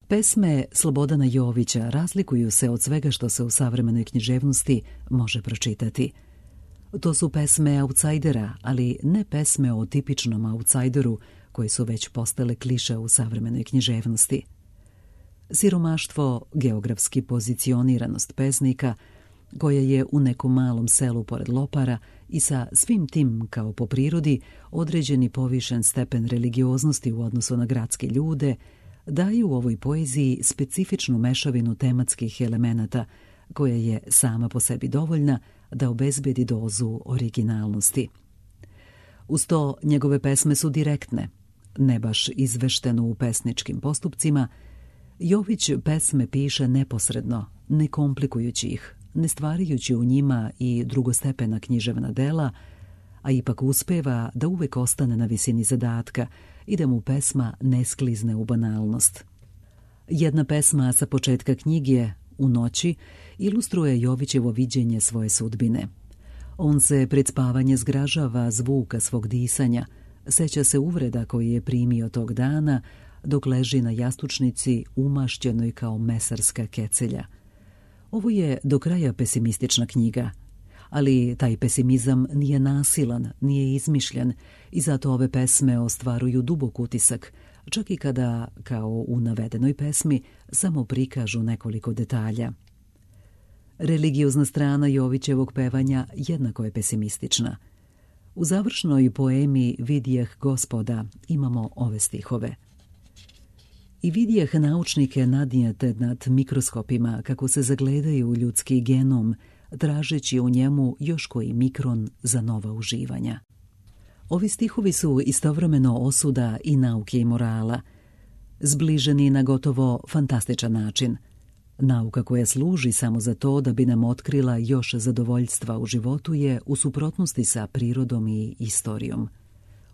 Pesme Slobodana Jovića razlikuju se od svega što se u savremenoj književnosti može pročitati. To su pesme autsajdera, ali ne pesme o tipičnom autsajderu koje su već postale kliše u savremenoj književnosti. Siromaštvo, geografski pozicioniranost pesnika, koja je u nekom malom selu pored Lopara i sa svim tim kao po prirodi određeni povišen stepen religioznosti u odnosu na gradske ljude, daju u ovoj poeziji specifičnu mešavinu tematskih elemenata koja je sama po sebi dovoljna da obezbedi dozu originalnosti. Uz to njegove pesme su direktne, ne baš izvešteno u pesničkim postupcima. Jović pesme piše neposredno, ne komplikujući ih, ne stvarajući u njima i drugostepena književna dela, a ipak uspeva da uvek ostane na visini zadatka i da mu pesma ne sklizne u banalnost. Jedna pesma sa početka knjige, U noći, ilustruje Jovićevo viđenje svoje sudbine. On se pred spavanje zgražava zvuka svog disanja, seća se uvreda koje je primio tog dana dok leži na jastučnici umašćenoj kao mesarska kecelja. Ovo je do kraja pesimistična knjiga, ali taj pesimizam nije nasilan, nije izmišljen i zato ove pesme ostvaruju dubok utisak, čak i kada, kao u navedenoj pesmi, samo prikažu nekoliko detalja. Religiozna strana Jovićevog pevanja jednako je pesimistična. U završnoj poemi Vidjeh Gospoda imamo ove stihove. I vidjeh naučnike nadnijete nad mikroskopima kako se zagledaju u ljudski genom, tražeći u njemu još koji mikron za nova uživanja. Ovi stihovi su istovremeno osuda i nauke i morala, zbliženi na gotovo fantastičan način. Nauka koja služi samo za to da bi nam otkrila još zadovoljstva u životu je u suprotnosti sa prirodom i istorijom.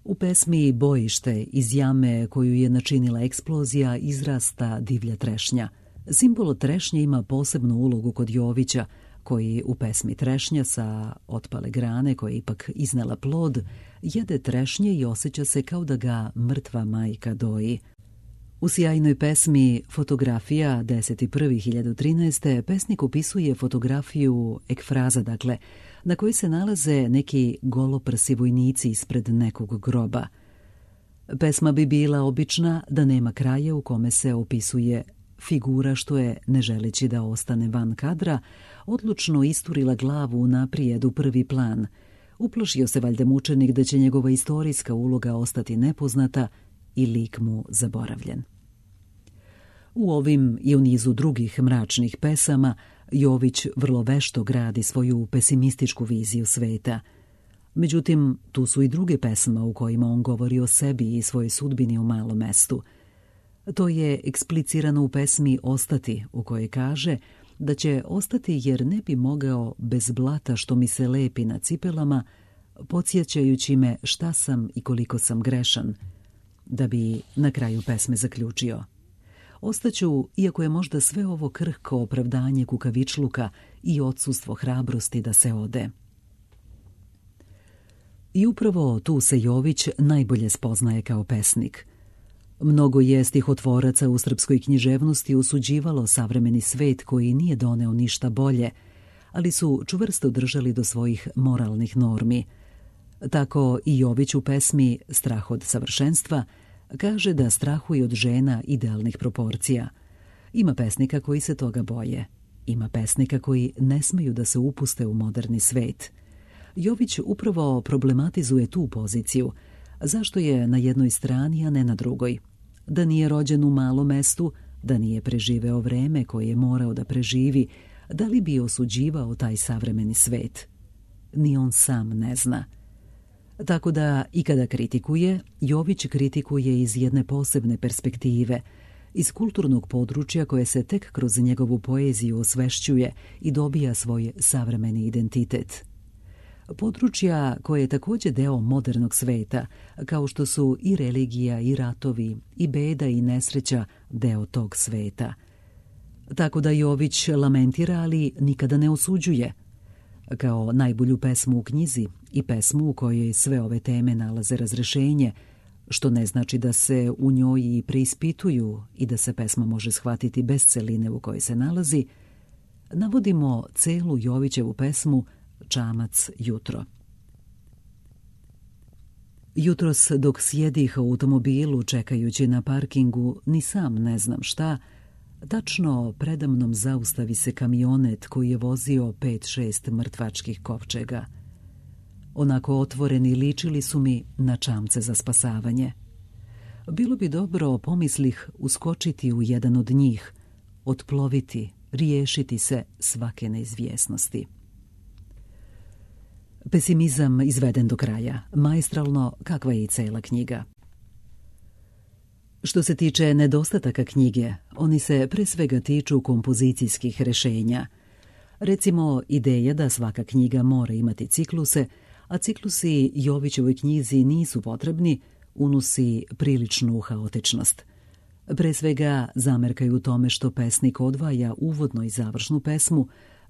U pesmi Bojište iz jame koju je načinila eksplozija izrasta divlja trešnja. Simbol trešnje ima posebnu ulogu kod Jovića, koji u pesmi Trešnja sa otpale grane koja je ipak iznela plod, jede trešnje i osjeća se kao da ga mrtva majka doji. U sjajnoj pesmi Fotografija 10.1.2013. pesnik opisuje fotografiju ekfraza, dakle, na kojoj se nalaze neki goloprsi vojnici ispred nekog groba. Pesma bi bila obična da nema kraja u kome se opisuje figura što je, ne želeći da ostane van kadra, odlučno isturila glavu naprijed u prvi plan. Uplašio se valjda mučenik da će njegova istorijska uloga ostati nepoznata i lik mu zaboravljen. U ovim i u nizu drugih mračnih pesama Jović vrlo vešto gradi svoju pesimističku viziju sveta. Međutim, tu su i druge pesme u kojima on govori o sebi i svojoj sudbini u malom mestu. To je eksplicirano u pesmi Ostati, u kojoj kaže da će ostati jer ne bi mogao bez blata što mi se lepi na cipelama, podsjećajući me šta sam i koliko sam grešan, da bi na kraju pesme zaključio. Ostaću, iako je možda sve ovo krhko opravdanje kukavičluka i odsustvo hrabrosti da se ode. I upravo tu se Jović najbolje spoznaje kao pesnik. Mnogo je stihotvoraca u srpskoj književnosti osuđivalo savremeni svet koji nije doneo ništa bolje, ali su čvrsto držali do svojih moralnih normi. Tako i Jović u pesmi Strah od savršenstva kaže da strahuje od žena idealnih proporcija. Ima pesnika koji se toga boje. Ima pesnika koji ne smeju da se upuste u moderni svet. Jović upravo problematizuje tu poziciju. Zašto je na jednoj strani, a ne na drugoj? Da nije rođen u malom mestu, da nije preživeo vreme koje je morao da preživi, da li bi osuđivao taj savremeni svet? Ni on sam ne zna. Tako da i kada kritikuje, Jović kritikuje iz jedne posebne perspektive, iz kulturnog područja koje se tek kroz njegovu poeziju osvešćuje i dobija svoj savremeni identitet. Područja koje je također deo modernog sveta, kao što su i religija i ratovi, i beda i nesreća deo tog sveta. Tako da Jović lamentira, ali nikada ne osuđuje. Kao najbolju pesmu u knjizi i pesmu u kojoj sve ove teme nalaze razrešenje, što ne znači da se u njoj i preispituju i da se pesma može shvatiti bez celine u kojoj se nalazi, navodimo celu Jovićevu pesmu Čamac jutro. Jutros dok sjedih u automobilu čekajući na parkingu, ni sam ne znam šta, tačno predamnom zaustavi se kamionet koji je vozio 5-6 mrtvačkih kovčega. Onako otvoreni ličili su mi na čamce za spasavanje. Bilo bi dobro, pomislih, uskočiti u jedan od njih, otploviti, riješiti se svake neizvjesnosti. Pesimizam izveden do kraja, maestralno kakva je i cela knjiga. Što se tiče nedostataka knjige, oni se pre svega tiču kompozicijskih rešenja. Recimo, ideja da svaka knjiga mora imati cikluse, a ciklusi Jovićevoj knjizi nisu potrebni, unosi priličnu haotičnost. Pre svega zamerkaju u tome što pesnik odvaja uvodnu i završnu pesmu,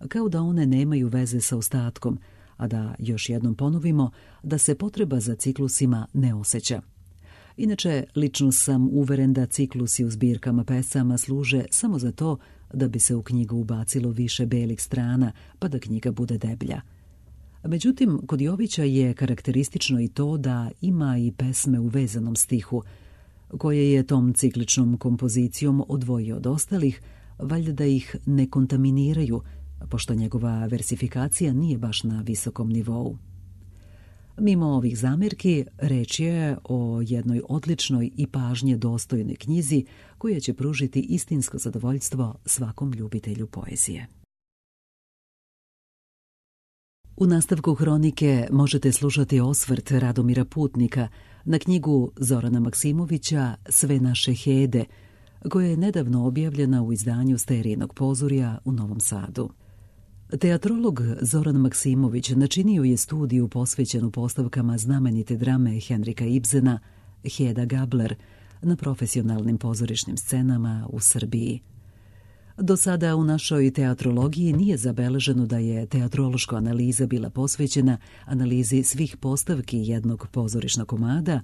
kao da one nemaju veze sa ostatkom, a da, još jednom ponovimo, da se potreba za ciklusima ne osjeća. Inače, lično sam uveren da ciklusi u zbirkama pesama služe samo za to da bi se u knjigu ubacilo više belih strana, pa da knjiga bude deblja. Međutim, kod Jovića je karakteristično i to da ima i pesme u vezanom stihu, koje je tom cikličnom kompozicijom odvojio od ostalih, valjda da ih ne kontaminiraju, pošto njegova versifikacija nije baš na visokom nivou. Mimo ovih zamerki, reč je o jednoj odličnoj i pažnje dostojnoj knjizi koja će pružiti istinsko zadovoljstvo svakom ljubitelju poezije. U nastavku hronike možete slušati osvrt Radomira Putnika na knjigu Zorana Maksimovića Sve naše hede, koja je nedavno objavljena u izdanju Sterijinog pozorja u Novom Sadu. Teatrolog Zoran Maksimović načinio je studiju posvećenu postavkama znamenite drame Henrika Ibsena Heda Gabler na profesionalnim pozorišnim scenama u Srbiji. Do sada u našoj teatrologiji nije zabeleženo da je teatrološka analiza bila posvećena analizi svih postavki jednog pozorišnog komada,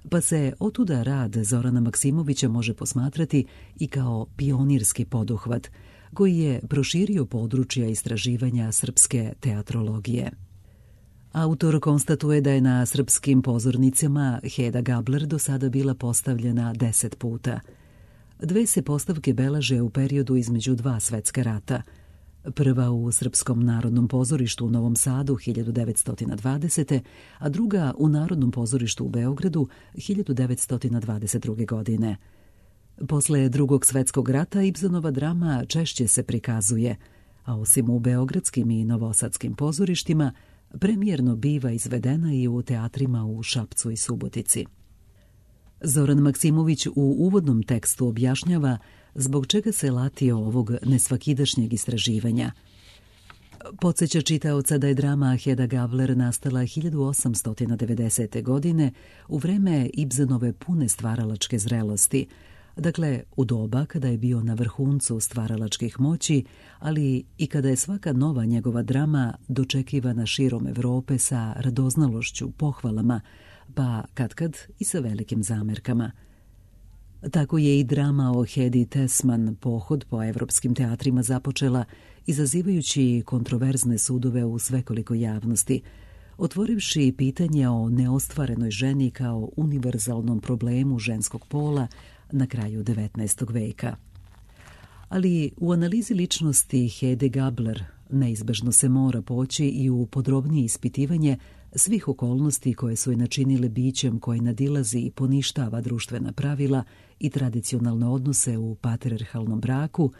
pa se otuda rad Zorana Maksimovića može posmatrati i kao pionirski poduhvat, koji je proširio područja istraživanja srpske teatrologije. Autor konstatuje da je na srpskim pozornicama Heda Gabler do sada bila postavljena 10 puta. 2 se postavke beleže u periodu između 2 svetska rata. Prva u Srpskom narodnom pozorištu u Novom Sadu 1920. a druga u Narodnom pozorištu u Beogradu 1922. godine. Posle Drugog svetskog rata Ibsenova drama češće se prikazuje, a osim u beogradskim i novosadskim pozorištima, premijerno biva izvedena i u teatrima u Šapcu i Subotici. Zoran Maksimović u uvodnom tekstu objašnjava zbog čega se latio ovog nesvakidašnjeg istraživanja. Podsjeća čitaoca da je drama Heda Gabler nastala 1890. godine u vreme Ibsenove pune stvaralačke zrelosti, dakle u doba kada je bio na vrhuncu stvaralačkih moći, ali i kada je svaka nova njegova drama dočekivana širom Evrope sa radoznalošću, pohvalama, pa katkad i sa velikim zamerkama. Tako je i drama o Hedi Tesman pohod po evropskim teatrima započela, izazivajući kontroverzne sudove u svekoliko javnosti, otvorivši pitanje o neostvarenoj ženi kao univerzalnom problemu ženskog pola na kraju 19. veka. Ali u analizi ličnosti Hede Gabler neizbežno se mora poći i u podrobnije ispitivanje svih okolnosti koje su je načinile bićem koje nadilazi i poništava društvena pravila i tradicionalne odnose u patrijarhalnom braku,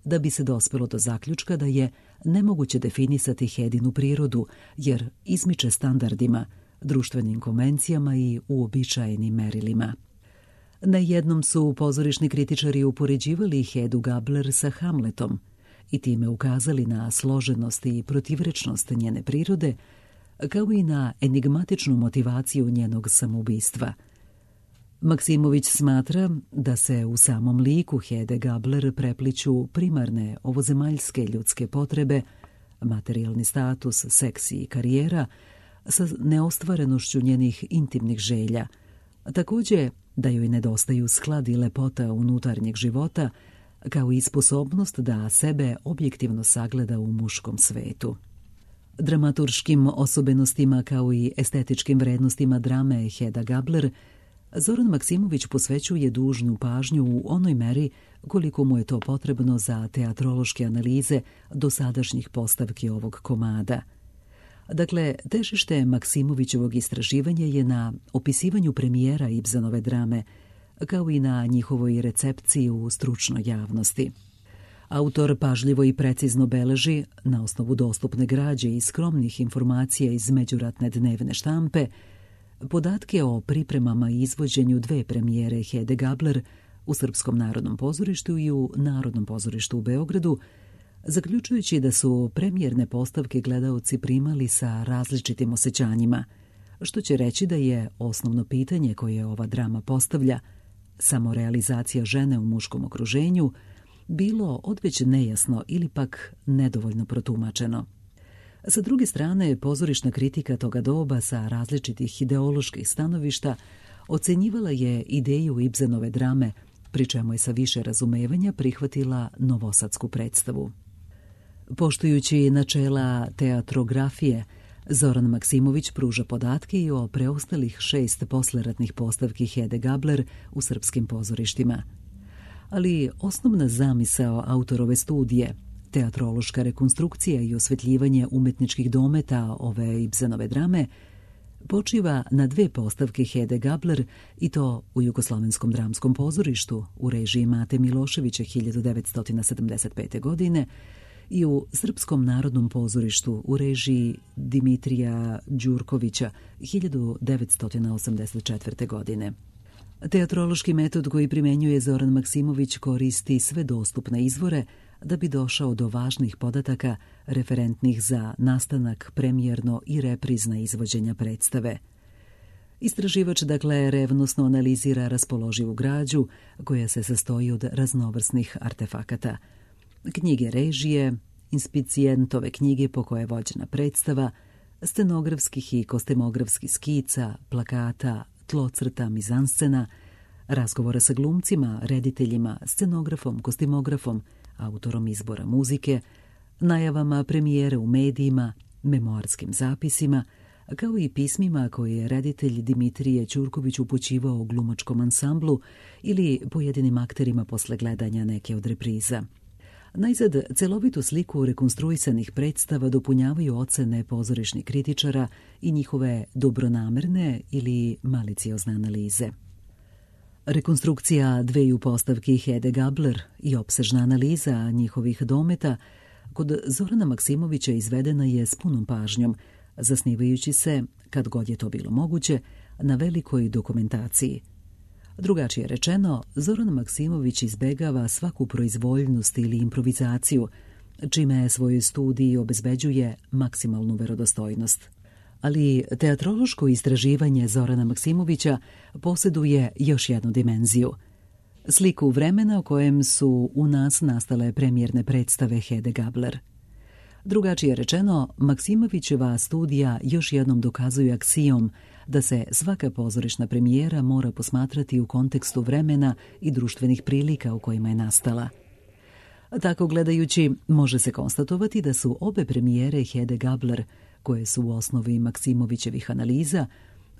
da bi se dospelo do zaključka da je nemoguće definisati Hedinu prirodu, jer izmiče standardima, društvenim konvencijama i uobičajenim merilima. Na jednom su pozorišni kritičari upoređivali Hedu Gabler sa Hamletom i time ukazali na složenost i protivrečnost njene prirode, kao i na enigmatičnu motivaciju njenog samoubistva. Maksimović smatra da se u samom liku Hede Gabler prepliću primarne ovozemaljske ljudske potrebe, materijalni status, seks i karijera, sa neostvarenošću njenih intimnih želja, Također da joj nedostaju sklad i lepota unutarnjeg života, kao i sposobnost da sebe objektivno sagleda u muškom svetu. Dramaturškim osobenostima kao i estetičkim vrednostima drame Hedda Gabler Zoran Maksimović posvećuje dužnu pažnju u onoj meri koliko mu je to potrebno za teatrološke analize dosadašnjih postavki ovog komada. Dakle, težište Maksimovićevog istraživanja je na opisivanju premijera Ibsenove drame, kao i na njihovoj recepciji u stručnoj javnosti. Autor pažljivo i precizno beleži, na osnovu dostupne građe i skromnih informacija iz međuratne dnevne štampe, podatke o pripremama i izvođenju 2 premijere Hedde Gabler u Srpskom narodnom pozorištu i u Narodnom pozorištu u Beogradu, zaključujući da su premijerne postavke gledaoci primali sa različitim osjećanjima, što će reći da je osnovno pitanje koje ova drama postavlja, samorealizacija žene u muškom okruženju, bilo odveć nejasno ili pak nedovoljno protumačeno. Sa druge strane, pozorišna kritika toga doba sa različitih ideoloških stanovišta ocenjivala je ideju Ibsenove drame, pri čemu je sa više razumevanja prihvatila novosadsku predstavu. Poštujući načela teatrografije, Zoran Maksimović pruža podatke i o preostalih 6 posleratnih postavki Hedde Gabler u srpskim pozorištima. Ali osnovna zamisao autorove studije, teatrološka rekonstrukcija i osvetljivanje umetničkih dometa ove Ibsenove drame, počiva na 2 postavke Hedde Gabler, i to u Jugoslavenskom dramskom pozorištu u režiji Mate Miloševića 1975. godine i u Srpskom narodnom pozorištu u režiji Dimitrija Đurkovića 1984. godine. Teatrološki metod koji primenjuje Zoran Maksimović koristi sve dostupne izvore da bi došao do važnih podataka referentnih za nastanak premijerno i reprizna izvođenja predstave. Istraživač, dakle, revnosno analizira raspoloživu građu koja se sastoji od raznovrsnih artefakata. Knjige režije, inspicijentove knjige po koje je vođena predstava, scenografskih i kostimografskih skica, plakata, tlocrta, mizanscena, razgovora sa glumcima, rediteljima, scenografom, kostimografom, autorom izbora muzike, najavama premijere u medijima, memoarskim zapisima, kao i pismima koje je reditelj Dimitrije Ćurković upućivao glumačkom ansamblu ili pojedinim akterima posle gledanja neke od repriza. Najzad, celovitu sliku rekonstruisanih predstava dopunjavaju ocene pozorišnih kritičara i njihove dobronamerne ili maliciozne analize. Rekonstrukcija 2 postavki Hedde Gabler i opsežna analiza njihovih dometa kod Zorana Maksimovića izvedena je s punom pažnjom, zasnivajući se, kad god je to bilo moguće, na velikoj dokumentaciji. Drugačije rečeno, Zoran Maksimović izbegava svaku proizvoljnost ili improvizaciju, čime svojoj studiji obezbeđuje maksimalnu verodostojnost. Ali teatrološko istraživanje Zorana Maksimovića posjeduje još jednu dimenziju. Sliku vremena u kojem su u nas nastale premijerne predstave Hedde Gabler. Drugačije rečeno, Maksimovićeva studija još jednom dokazuje aksijom da se svaka pozorišna premijera mora posmatrati u kontekstu vremena i društvenih prilika u kojima je nastala. Tako gledajući, može se konstatovati da su obe premijere Hedde Gabler, koje su u osnovi Maksimovićevih analiza,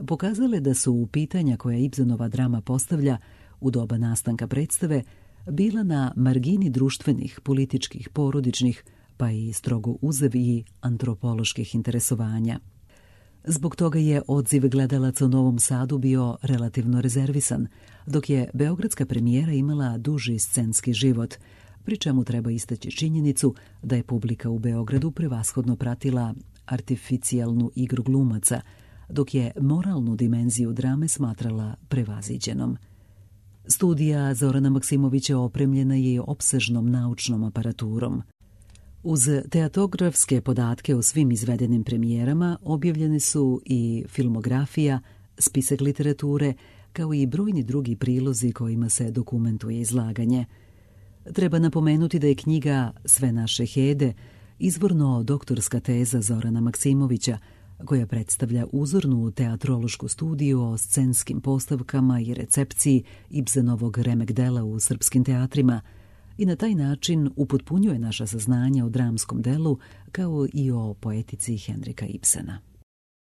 pokazale da su u pitanja koja Ibsenova drama postavlja u doba nastanka predstave bila na margini društvenih, političkih, porodičnih, pa i strogo uzev i antropoloških interesovanja. Zbog toga je odziv gledalaca u Novom Sadu bio relativno rezervisan, dok je beogradska premijera imala duži scenski život, pri čemu treba istaći činjenicu da je publika u Beogradu prevashodno pratila artificijalnu igru glumaca, dok je moralnu dimenziju drame smatrala prevaziđenom. Studija Zorana Maksimovića opremljena je opsežnom naučnom aparaturom. Uz teatografske podatke o svim izvedenim premijerama objavljene su i filmografija, spisak literature, kao i brojni drugi prilozi kojima se dokumentuje izlaganje. Treba napomenuti da je knjiga Sve naše Hede izvorno doktorska teza Zorana Maksimovića, koja predstavlja uzornu teatrološku studiju o scenskim postavkama i recepciji Ibsenovog remek dela u srpskim teatrima i na taj način upotpunjuje naša saznanja o dramskom delu kao i o poetici Henrika Ibsena.